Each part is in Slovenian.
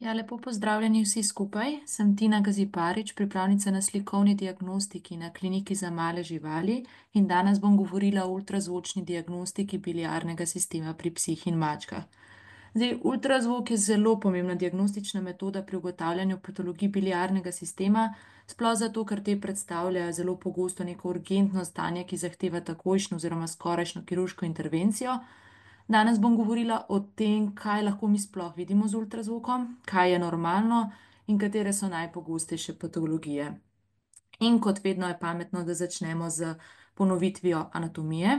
Ja, lepo pozdravljeni vsi skupaj. Sem Tina Gaziparič, pripravnica na slikovni diagnostiki na Kliniki za male živali in danes bom govorila o ultrazvočni diagnostiki biliarnega sistema pri psih in mačkah. Zdaj, ultrazvok je zelo pomembna diagnostična metoda pri ugotavljanju patologij biliarnega sistema, sploh zato, ker te predstavljajo zelo pogosto neko urgentno stanje, ki zahteva takojšnjo oziroma skorajšnjo kirurško intervencijo. Danes bom govorila o tem, kaj lahko mi sploh vidimo z ultrazvokom, kaj je normalno in katere so najpogostejše patologije. In kot vedno je pametno, da začnemo z ponovitvijo anatomije.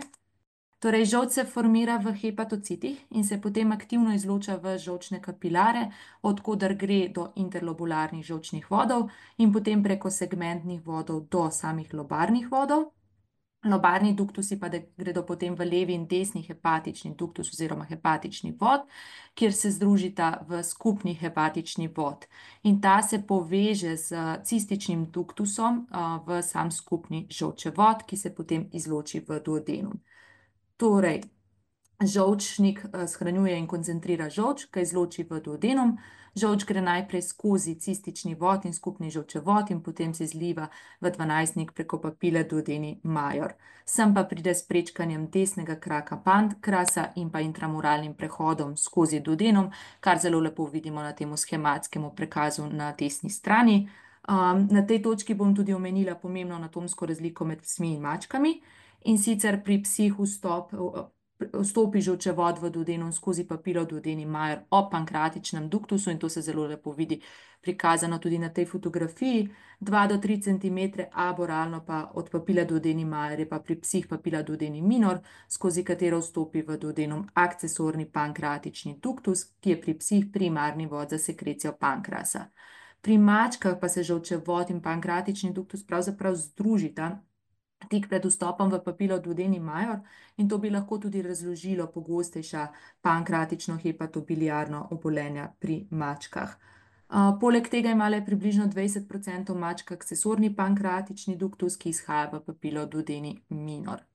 Torej, žolč se formira v hepatocitih in se potem aktivno izloča v žolčne kapilare, odkudar gre do interlobularnih žolčnih vodov in potem preko segmentnih vodov do samih lobarnih vodov. Lobarni duktusi pa gredo potem v levi in desni hepatični duktus oziroma hepatični vod, kjer se združita v skupni hepatični vod. In ta se poveže z cističnim duktusom v sam skupni žolčevod, ki se potem izloči v duodenum. Torej, žolčnik shranjuje in koncentrira žolč, ga izloči v duodenum. Žolč gre najprej skozi cistični vod in skupni žolčevod in potem se izliva v dvanajstnik preko papile duodeni major. Sem pa pride s prečkanjem desnega kraka pankrasa in pa intramuralnim prehodom skozi duodenum, kar zelo lepo vidimo na tem shematskem prikazu na desni strani. Na tej točki bom tudi omenila pomembno anatomsko razliko med psmi in mačkami. In sicer pri psih vstopi žolčevod v duodenum skozi papilo duodeni major ob pankreatičnem duktusu in to se zelo lepo vidi prikazano tudi na tej fotografiji. 2 do 3 cm aboralno pa od papile duodeni major je pa pri psih papila duodeni minor, skozi katero vstopi v duodenum akcesorni pankreatični duktus, ki je pri psih primarni vod za sekrecijo pankrasa. Pri mačkah pa se žolčevod in pankreatični duktus pravzaprav združita tik pred vstopom v papilo duodeni major in to bi lahko tudi razložilo pogostejša pankreatično hepatobiliarno obolenja pri mačkah. Poleg tega ima le približno 20% mačk akcesorni pankreatični duktus, ki izhaja v papilo duodeni minor.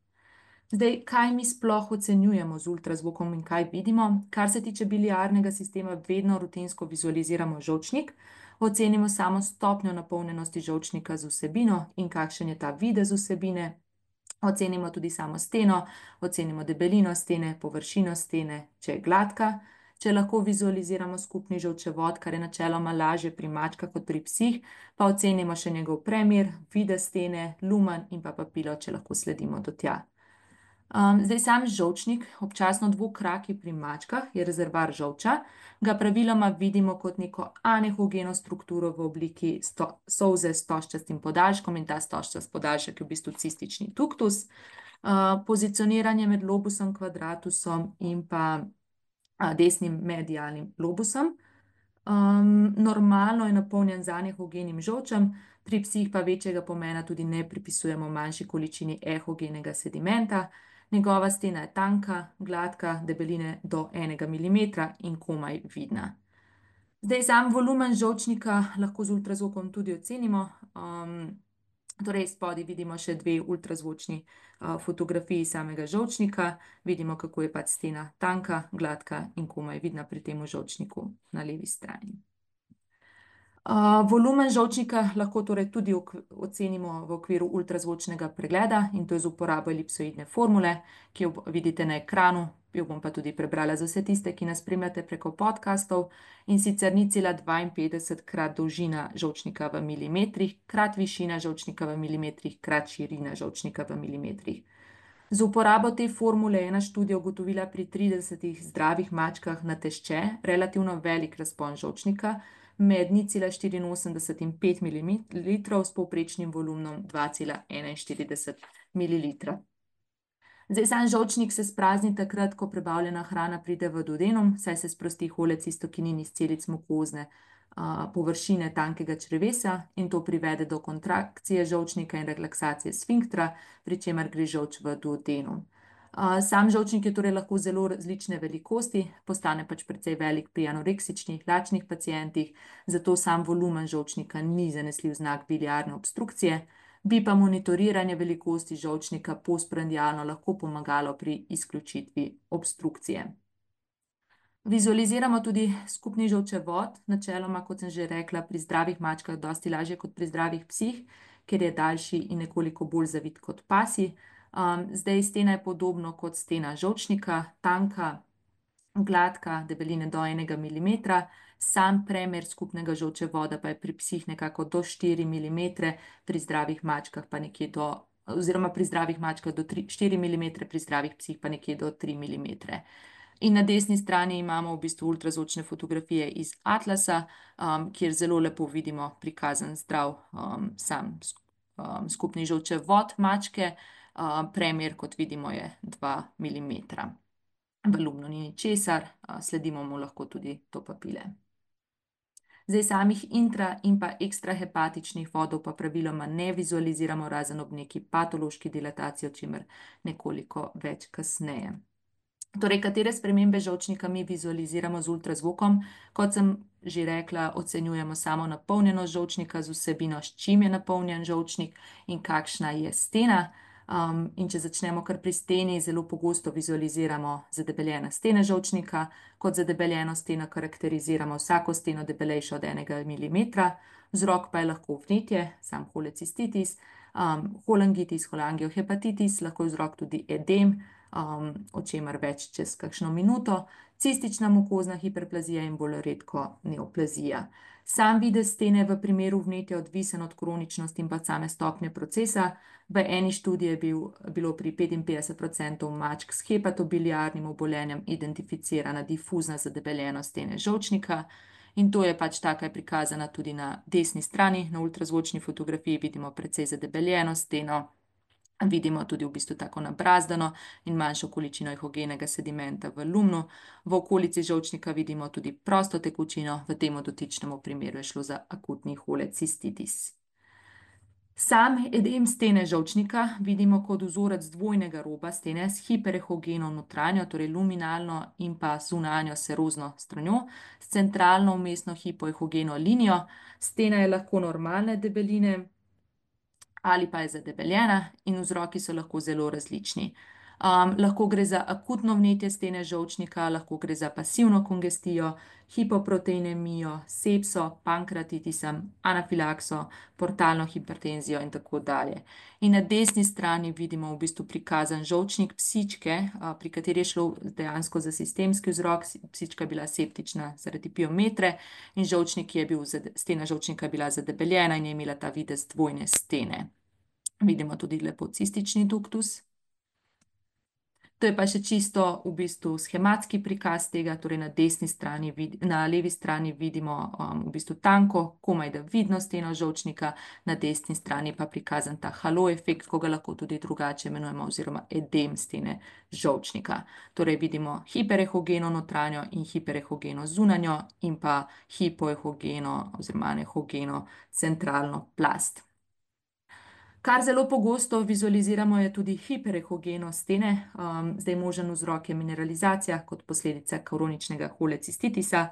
Zdaj, kaj mi sploh ocenjujemo z ultrazvokom in kaj vidimo? Kar se tiče biliarnega sistema, vedno rutinsko vizualiziramo žolčnik, ocenimo samo stopnjo napolnjenosti žolčnika z vsebino in kakšen je ta videz vsebine, ocenimo tudi samo steno, ocenimo debelino stene, površino stene, če je gladka, če lahko vizualiziramo skupni žolčevod, kar je načeloma lažje pri mačkah kot pri psih, pa ocenimo še njegov premer, videz stene, lumen in pa papilo, če lahko sledimo do tja. Zdaj, sam žolčnik, občasno dvokraki pri mačkah, je rezervoar žolča, ga praviloma vidimo kot neko anehogeno strukturo v obliki solze s stožčastim podaljškom in ta stožčast podaljšek je v bistvu cistični duktus. Pozicioniranje med lobusom quadratusom in pa desnim medialnim lobusom. Normalno je napolnjen z anehogenim žolčem, pri psih pa večjega pomena tudi ne pripisujemo manjši količini ehogenega sedimenta. Njegova stena je tanka, gladka, debeline do 1 mm in komaj vidna. Zdaj, sam volumen žolčnika lahko z ultrazvokom tudi ocenimo. Torej, spodaj vidimo še 2 ultrazvočni fotografiji samega žolčnika. Vidimo, kako je pač stena tanka, gladka in komaj vidna pri tem žolčniku na levi strani. Volumen žolčnika lahko torej tudi ocenimo v okviru ultrazvočnega pregleda in to je z uporabo elipsoidne formule, ki jo vidite na ekranu, jo bom pa tudi prebrala za vse tiste, ki nas spremljate preko podcastov, in sicer 0,52 krat dolžina žolčnika v milimetrih krat višina žolčnika v milimetrih krat širina žolčnika v milimetrih. Z uporabo te formule je ena študija ugotovila pri 30 zdravih mačkah na tešče relativno velik razpon žolčnika med 0,84 in 5 ml s povprečnim volumnom 2,41 ml. Zdaj, sam žolčnik se sprazni takrat, ko prebavljena hrana pride v duodenum, saj se sprosti holecistokinin iz celic mukozne površine tankega črevesja in to privede do kontrakcije žolčnika in relaksacije sfinktra, pri čemer gre žolč v duodenum. Sam žolčnik je torej lahko zelo različne velikosti, postane pač precej velik pri anoreksičnih, lačnih pacientih, zato sam volumen žolčnika ni zanesljiv znak biliarne obstrukcije, bi pa monitoriranje velikosti žolčnika postprandialno lahko pomagalo pri izključitvi obstrukcije. Vizualiziramo tudi skupni žolčevod, načeloma, kot sem že rekla, pri zdravih mačkah dosti lažje kot pri zdravih psih, ker je daljši in nekoliko bolj zavit kot pasji. Zdaj stena je podobno kot stena žolčnika, tanka, gladka, debeline do 1 mm, sam premer skupnega žolčevoda pa je pri psih nekako do 4 mm, pri zdravih mačkah pa nekje do, oziroma pri zdravih mačkah do 4 mm, pri zdravih psih pa nekje do 3 mm. In na desni strani imamo v bistvu ultrazvočne fotografije iz Atlasa, kjer zelo lepo vidimo prikazan zdrav sam skupni žolčevod mačke. Premer, kot vidimo, je 2 mm. V lumnu ni ničesar, sledimo mu lahko tudi to papile. Zdaj samih intra in pa ekstrahepatičnih vodov pa praviloma ne vizualiziramo razen ob neki patološki dilataciji, o čemer nekoliko več kasneje. Torej, katere spremembe žolčnika mi vizualiziramo z ultrazvokom? Kot sem že rekla, ocenjujemo samo napolnjenost žolčnika z vsebino, s čim je napolnjen žolčnik in kakšna je stena. In če začnemo kar pri steni, zelo pogosto vizualiziramo zadebeljene stene žolčnika. Kot zadebeljeno steno karakteriziramo vsako steno debelejšo od 1 mm, vzrok pa je lahko vnetje, sam holecistitis, holangitis, holangiohepatitis, lahko je vzrok tudi edem, o čemer več čez kakšno minuto, cistična mukozna hiperplazija in bolj redko neoplazija. Sam videz stene v primeru vnetja odvisen od kroničnosti in pa same stopnje procesa. V eni študiji je bilo pri 55% mačk s hepatobiliarnim obolenjem identificirana difuzna zadebeljenost stene žolčnika. In to je pač taka, je prikazana tudi na desni strani. Na ultrazvočni fotografiji vidimo precej zadebeljeno steno. Vidimo tudi v bistvu tako nabrazdano in manjšo količino ehogenega sedimenta v lumnu. V okolici žolčnika vidimo tudi prosto tekočino, v tem dotičnem primeru je šlo za akutni holecistitis. Sam edem stene žolčnika vidimo kot vzorec dvojnega roba stene s hiperehogeno notranjo, torej luminalno in pa zunanjo serozno stranjo, s centralno vmesno hipoehogeno linijo. Stena je lahko normalne debeline ali pa je zadebeljena in vzroki so lahko zelo različni. Lahko gre za akutno vnetje stene žolčnika, lahko gre za pasivno kongestijo, hipoproteinemijo, sepso, pankreatitisa, anafilakso, portalno hipertenzijo in tako dalje. In na desni strani vidimo v bistvu prikazan žolčnik psičke, pri kateri je šlo dejansko za sistemski vzrok. Psička je bila septična zaradi piometre in stena žolčnika je bila zadebeljena in je imela ta videz dvojne stene. Vidimo tudi lepo cistični duktus. To je pa še čisto v bistvu schematski prikaz tega, torej na levi strani vidimo v bistvu tanko, komaj da vidno steno žolčnika, na desni strani pa prikazan ta halo efekt, ko ga lahko tudi drugače imenujemo, oziroma edem stene žolčnika. Torej vidimo hiperehogeno notranjo in hiperehogeno zunanjo in pa hipoehogeno oziroma anehogeno centralno plast. Kar zelo pogosto vizualiziramo je tudi hiperehogeno stene. Zdaj možen vzrok je mineralizacija kot posledica kroničnega holecistitisa.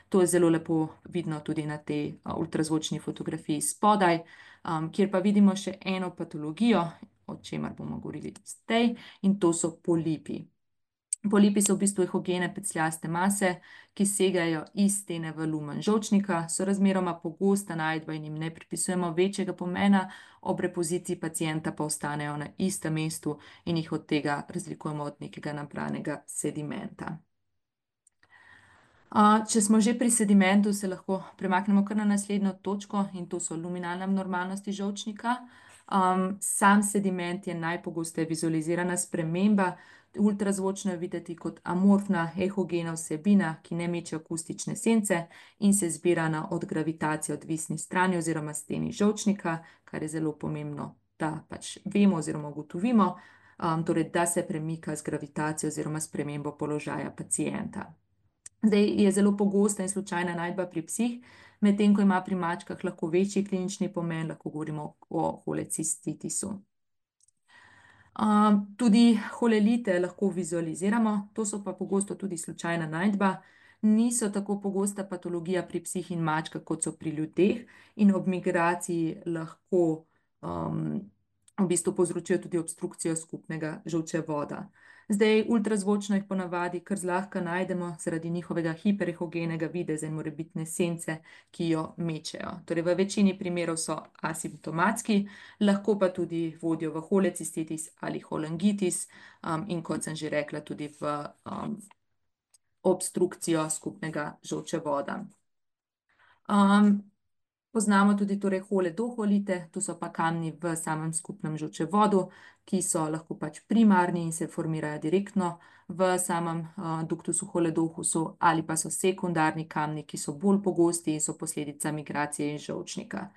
To je zelo lepo vidno tudi na tej ultrazvočni fotografiji spodaj, kjer pa vidimo še eno patologijo, o čemer bomo govorili zdaj, in to so polipi. Polipi so v bistvu ehogene pecljaste mase, ki segajo iz stene v lumen žolčnika, so razmeroma pogosta najdba in jim ne pripisujemo večjega pomena, ob repoziciji pacienta pa ostanejo na istem mestu in jih od tega razlikujemo od nekega nabranega sedimenta. Če smo že pri sedimentu, se lahko premaknemo kar na naslednjo točko in to so luminalne abnormalnosti žolčnika. Sam sediment je najpogosteje vizualizirana sprememba. Ultrazvočno je videti kot amorfna ehogena vsebina, ki ne meče akustične sence in se zbira na od gravitacije odvisni strani oziroma steni žolčnika, kar je zelo pomembno, da pač vemo oziroma ugotovimo, torej da se premika z gravitacijo oziroma spremembo položaja pacienta. Zdaj je zelo pogosta in slučajna najdba pri psih, medtem ko ima pri mačkah lahko večji klinični pomen, lahko govorimo o holecistitisu. Tudi holelite lahko vizualiziramo, to so pa pogosto tudi slučajna najdba. Niso tako pogosta patologija pri psih in mačkah, kot so pri ljudeh, in ob migraciji lahko v bistvu povzročijo tudi obstrukcijo skupnega žolčevoda. Zdaj, ultrazvočno jih ponavadi kar zlahka najdemo zaradi njihovega hiperehogenega videza in morebitne sence, ki jo mečejo. Torej, v večini primerov so asimptomatski, lahko pa tudi vodijo v holecistitis ali holangitis, in kot sem že rekla, tudi v obstrukcijo skupnega žolčevoda. Poznamo tudi torej holedoholite, to so pa kamni v samem skupnem žolčevodu, ki so lahko pač primarni in se formirajo direktno v samem duktusu holedohusu, ali pa so sekundarni kamni, ki so bolj pogosti in so posledica migracije iz žolčnika.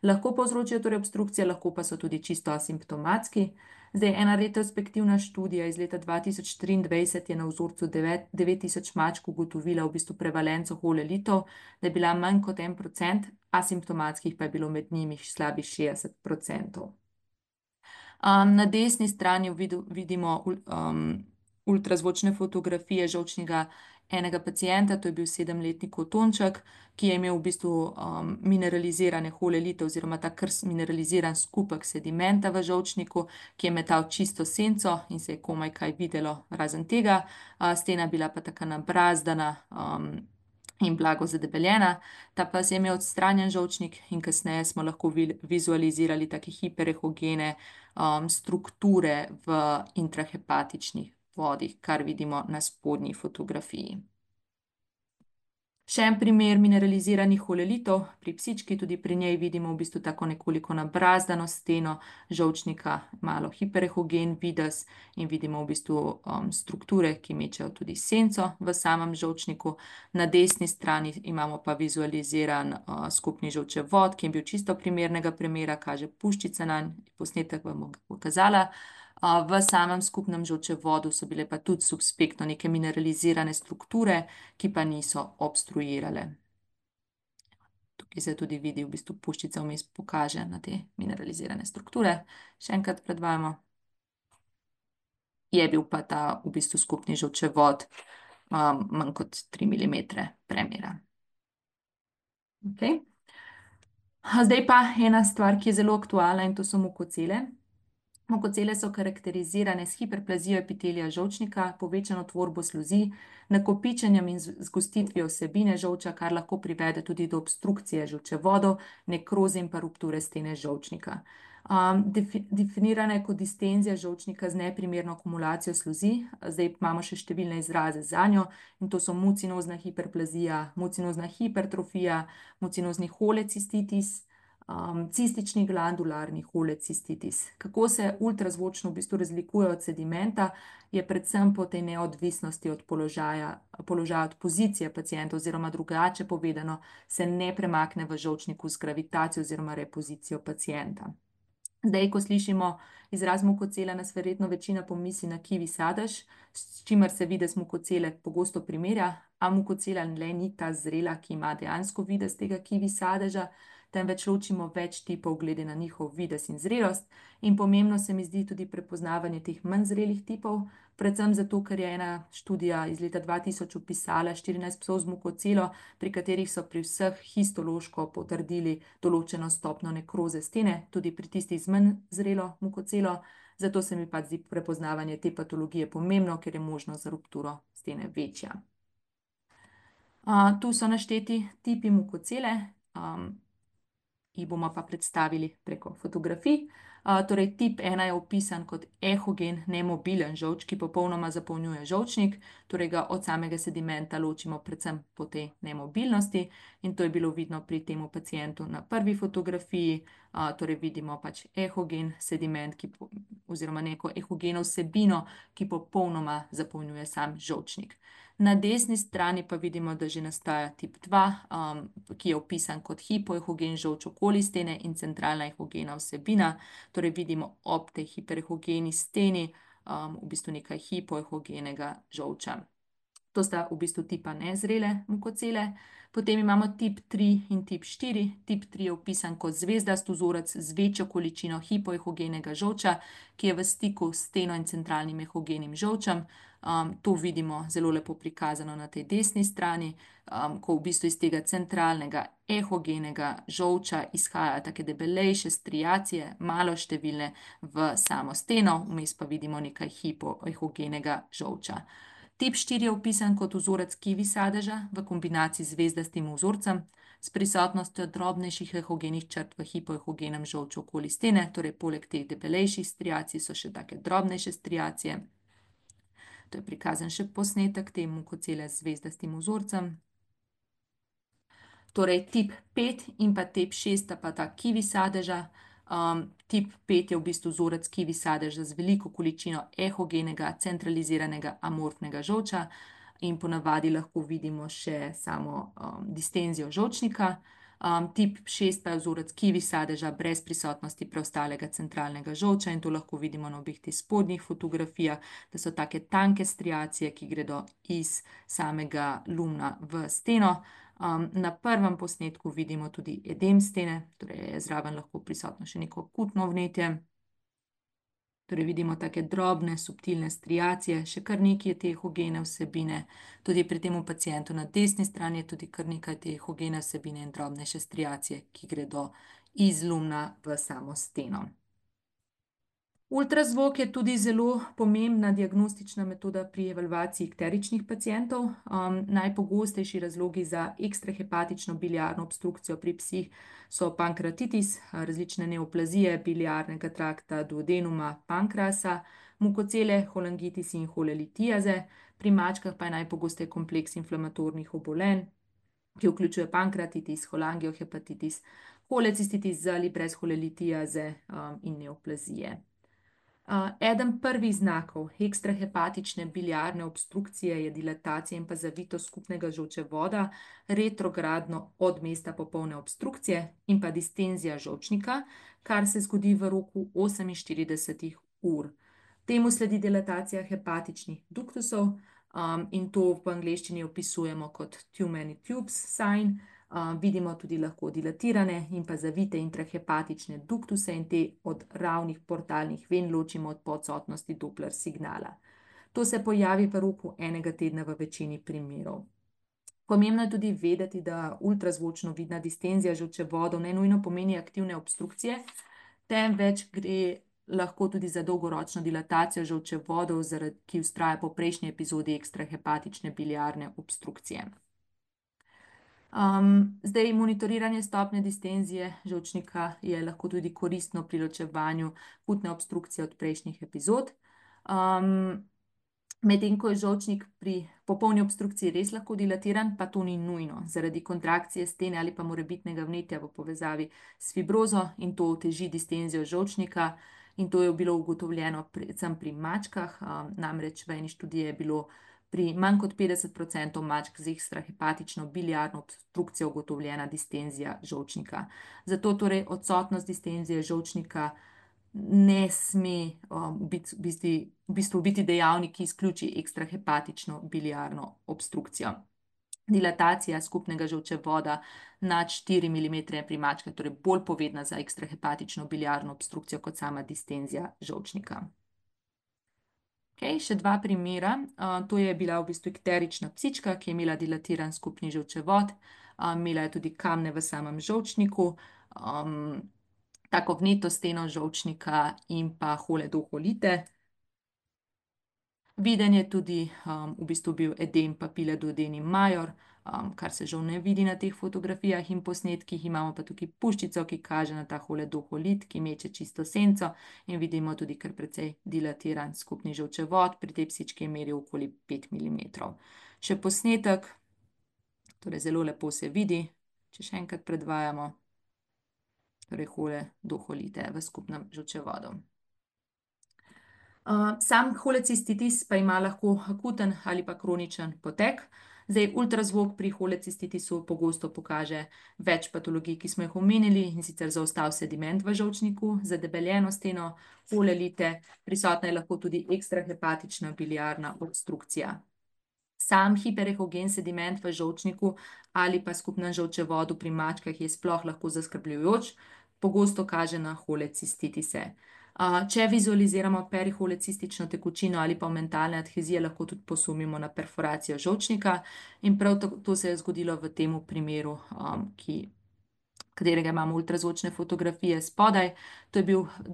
Lahko povzročijo torej obstrukcije, lahko pa so tudi čisto asimptomatski. Zdaj, ena retrospektivna študija iz leta 2023 je na vzorcu 9000 mačk ugotovila v bistvu prevalenco holelitov, da je bila manj kot 1%, asimptomatskih pa je bilo med njimi slabih 60%. Na desni strani vidimo ultrazvočne fotografije žolčnega enega pacienta, to je bil 7-letni Kotonček, ki je imel v bistvu mineralizirane holelite oziroma ta kar mineraliziran skupek sedimenta v žolčniku, ki je metal čisto senco in se je komaj kaj videlo razen tega. Stena je bila pa taka nabrazdana in blago zadebeljena. Ta pas je imel odstranjen žolčnik in kasneje smo lahko vizualizirali take hiperehogene strukture v intrahepatičnih vodih, kar vidimo na spodnji fotografiji. Še en primer mineraliziranih holelitov pri psički, tudi pri njej vidimo v bistvu tako nekoliko nabrazdano steno žolčnika, malo hiperehogen videz in vidimo v bistvu strukture, ki mečejo tudi senco v samem žolčniku. Na desni strani imamo pa vizualiziran skupni žolčevod, ki je bil čisto primernega premera, kaže puščica nanj, posnetek vam bom pokazala. V samem skupnem žolčevodu so bile pa tudi subspektno neke mineralizirane strukture, ki pa niso obstruirale. Tukaj se tudi vidi, v bistvu puščica vmes pokaže na te mineralizirane strukture. Še enkrat predvajamo. Je bil pa ta v bistvu skupni žolčevod manj kot 3 mm premera. Okay. Zdaj pa ena stvar, ki je zelo aktualna, in to so mukocele. Mukocele so karakterizirane s hiperplazijo epitelija žolčnika, povečano tvorbo sluzi, nakopičenjem in zgostitvijo vsebine žolča, kar lahko privede tudi do obstrukcije žolčevodov, nekroze in pa rupture stene žolčnika. Definirana je kot distenzija žolčnika z neprimerno akumulacijo sluzi. Zdaj imamo še številne izraze zanjo, in to so mucinozna hiperplazija, mucinozna hipertrofija, mucinozni holecistitis, cistični glandularni holecistitis. Kako se ultrazvočno v bistvu razlikuje od sedimenta, je predvsem po tej neodvisnosti od položaja od pozicije pacienta, oziroma drugače povedano, se ne premakne v žolčniku z gravitacijo oziroma repozicijo pacienta. Zdaj, ko slišimo izraz mukocela, nas verjetno večina pomisli na kivi sadež, s čimer se videz mukocele pogosto primerja, a mukocela le ni ta zrela, ki ima dejansko videz tega kivi sadeža, temveč ločimo več tipov glede na njihov videz in zrelost. In pomembno se mi zdi tudi prepoznavanje teh manj zrelih tipov, predvsem zato, ker je ena študija iz leta 2000 opisala 14 psov z mukocelo, pri katerih so pri vseh histološko potrdili določeno stopnjo nekroze stene, tudi pri tistih z manj zrelo mukocelo. Zato se mi pa zdi prepoznavanje te patologije pomembno, ker je možnost za rupturo stene večja. Tu so našteti tipi mukocele, jih bomo pa predstavili preko fotografij. Torej, tip 1 je opisan kot ehogen, nemobilen žolč, ki popolnoma zapolnjuje žolčnik, torej ga od samega sedimenta ločimo predvsem po tej nemobilnosti, in to je bilo vidno pri temu pacientu na prvi fotografiji. Torej vidimo pač ehogen sediment, oziroma neko ehogeno vsebino, ki popolnoma zapolnjuje sam žolčnik. Na desni strani pa vidimo, da že nastaja tip 2, ki je opisan kot hipoehogen žolč okoli stene in centralna ehogena vsebina. Torej vidimo ob tej hiperehogeni steni v bistvu nekaj hipoehogenega žolča. To sta v bistvu tipa nezrele mukocele. Potem imamo tip 3 in tip 4. Tip 3 je opisan kot zvezdast vzorec z večjo količino hipoehogenega žolča, ki je v stiku s steno in centralnim ehogenim žolčem. To vidimo zelo lepo prikazano na tej desni strani, ko v bistvu iz tega centralnega ehogenega žolča izhajajo take debelejše striacije, maloštevilne v samo steno, vmes pa vidimo nekaj hipoehogenega žolča. Tip 4 je opisan kot vzorec kivi sadeža v kombinaciji z zvezdastim vzorcem s prisotnostjo drobnejših ehogenih črt v hipoehogenem žolču okoli stene, torej poleg teh debelejših striacij so še take drobnejše striacije. To je prikazan še posnetek temu kocele z zvezdastim vzorcem. Torej tip 5 in pa tip 6 sta pa ta kivi sadeža. Tip 5 je v bistvu vzorec kivi sadeža z veliko količino ehogenega, centraliziranega amorfnega žolča in ponavadi lahko vidimo še samo distenzijo žolčnika. Tip 6 pa je vzorec kivi sadeža brez prisotnosti preostalega centralnega žolča in to lahko vidimo na obeh teh spodnjih fotografijah, da so take tanke striacije, ki gredo iz samega lumna v steno. Na prvem posnetku vidimo tudi edem stene, torej je zraven lahko prisotno še neko akutno vnetje. Torej vidimo take drobne, subtilne striacije, še kar nekaj te ehogene vsebine. Tudi pri temu pacientu na desni strani je tudi kar nekaj te ehogene vsebine in drobnejše striacije, ki gredo iz lumna v samo steno. Ultrazvok je tudi zelo pomembna diagnostična metoda pri evalvaciji ikteričnih pacientov. Najpogostejši razlogi za ekstrahepatično biliarno obstrukcijo pri psih so pankreatitis, različne neoplazije biliarnega trakta, duodenuma, pankrasa, mukocele, cholangitis in holelitiaze. Pri mačkah pa je najpogosteje kompleks inflamatornih obolenj, ki vključuje pankreatitis, holangiohepatitis, holecistitis z ali brez holelitiaze in neoplazije. Eden prvih znakov ekstrahepatične biliarne obstrukcije je dilatacija in pa zavitost skupnega žolčevoda retrogradno od mesta popolne obstrukcije in pa distenzija žolčnika, kar se zgodi v roku 48 ur. Temu sledi dilatacija hepatičnih duktusov in to v angleščini opisujemo kot too many tubes sign. Vidimo tudi lahko dilatirane in pa zavite intrahepatične duktuse in te od ravnih portalnih ven ločimo od odsotnosti Doppler signala. To se pojavi v roku enega tedna v večini primerov. Pomembno je tudi vedeti, da ultrazvočno vidna distenzija žolčevodov ne nujno pomeni aktivne obstrukcije, temveč gre lahko tudi za dolgoročno dilatacijo žolčevodov, ki vztraja po prejšnji epizodi ekstrahepatične biliarne obstrukcije. Zdaj, monitoriranje stopnje distenzije žolčnika je lahko tudi koristno pri ločevanju akutne obstrukcije od prejšnjih epizod. Medtem ko je žolčnik pri popolni obstrukciji res lahko dilatiran, pa to ni nujno, zaradi kontrakcije stene ali pa morebitnega vnetja v povezavi s fibrozo in to oteži distenzijo žolčnika. In to je bilo ugotovljeno predvsem pri mačkah, namreč v eni študiji je bilo pri manj kot 50% mačk z ekstrahepatično biliarno obstrukcijo ugotovljena distenzija žolčnika. Zato torej odsotnost distenzije žolčnika ne sme v bistvu biti dejavnik, ki izključi ekstrahepatično biliarno obstrukcijo. Dilatacija skupnega žolčevoda nad 4 mm pri mačkah je torej bolj povedna za ekstrahepatično biliarno obstrukcijo kot sama distenzija žolčnika. Še dva primera. To je bila v bistvu ikterična psička, ki je imela dilatiran skupni žolčevod. Imela je tudi kamne v samem žolčniku, tako vneto steno žolčnika in pa holedoholite. Viden je tudi v bistvu bil edem papile duodeni major, kar se žal ne vidi na teh fotografijah in posnetkih. Imamo pa tukaj puščico, ki kaže na ta holedoholit, ki meče čisto senco in vidimo tudi kar precej dilatiran skupni žolčevod. Pri tej psički je meril okoli 5 mm. Še posnetek, torej zelo lepo se vidi, če še enkrat predvajamo, torej holedoholite v skupnem žolčevodu. Sam holecistitis pa ima lahko akuten ali pa kroničen potek. Zdaj, ultrazvok pri holecistitisu pogosto pokaže več patologij, ki smo jih omenili, in sicer zaostal sediment v žolčniku, zadebeljeno steno, holelite, prisotna je lahko tudi ekstrahepatična biliarna obstrukcija. Sam hiperehogen sediment v žolčniku ali pa skupnem žolčevodu pri mačkah je sploh lahko zaskrbljujoč, pogosto kaže na holecistitise. Če vizualiziramo periholecistično tekočino ali pa mentalne adhezije, lahko tudi posumimo na perforacijo žolčnika in prav to se je zgodilo v tem primeru, katerega imamo ultrazvočne fotografije spodaj. To je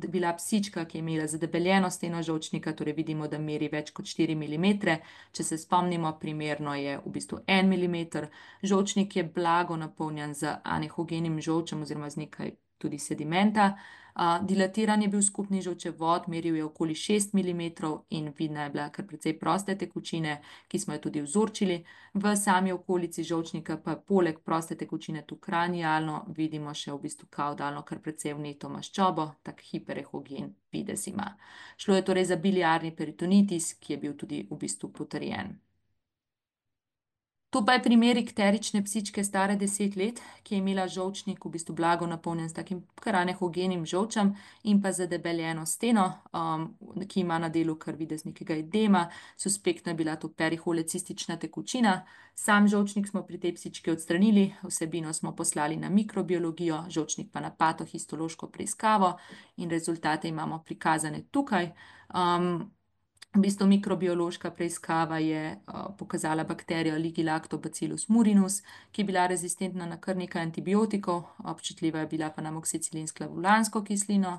bila psička, ki je imela zadebeljeno steno žolčnika, torej vidimo, da meri več kot 4 mm. Če se spomnimo, primerno je v bistvu 1 mm. Žolčnik je blago napolnjen z anehogenim žolčem oziroma z nekaj tudi sedimenta. Dilatiran je bil skupni žolčevod, meril je okoli 6 mm in vidna je bila kar precej proste tekočine, ki smo jo tudi vzorčili. V sami okolici žolčnika pa poleg proste tekočine tu kranialno vidimo še v bistvu kaudalno kar precej vneto maščobo, tak hiperehogen videz ima. Šlo je torej za biliarni peritonitis, ki je bil tudi v bistvu potrjen. To pa je primer ikterične psičke stare 10 let, ki je imela žolčnik v bistvu blago napolnjen s takim kar anehogenim žolčem in pa zadebeljeno steno, ki ima na delu kar videz nekega edema. Suspektno je bila to periholecistična tekočina. Sam žolčnik smo pri tej psički odstranili, vsebino smo poslali na mikrobiologijo, žolčnik pa na patohistološko preiskavo in rezultate imamo prikazane tukaj. V bistvu mikrobiološka preiskava je pokazala bakterijo Ligilactobacillus murinus, ki je bila rezistentna na kar nekaj antibiotikov, občutljiva je bila pa na amoksicilin s klavulansko kislino.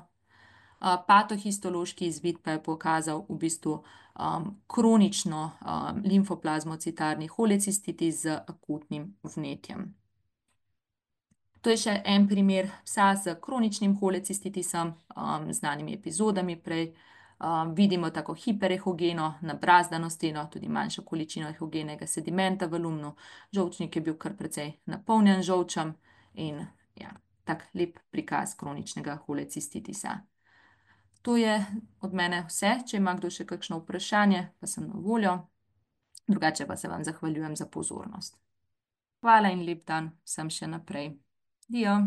Patohistološki izvid pa je pokazal v bistvu kronično limfoplazmocitarni holecistitis z akutnim vnetjem. To je še en primer psa z kroničnim holecistitisom, znanimi epizodami prej. Vidimo tako hiperehogeno, nabrazdano steno, tudi manjšo količino ehogenega sedimenta v lumnu. Žolčnik je bil kar precej napolnjen žolčem in ja, tak lep prikaz kroničnega holecistitisa. To je od mene vse. Če ima kdo še kakšno vprašanje, pa sem na voljo. Drugače pa se vam zahvaljujem za pozornost. Hvala in lep dan vsem še naprej. Dio.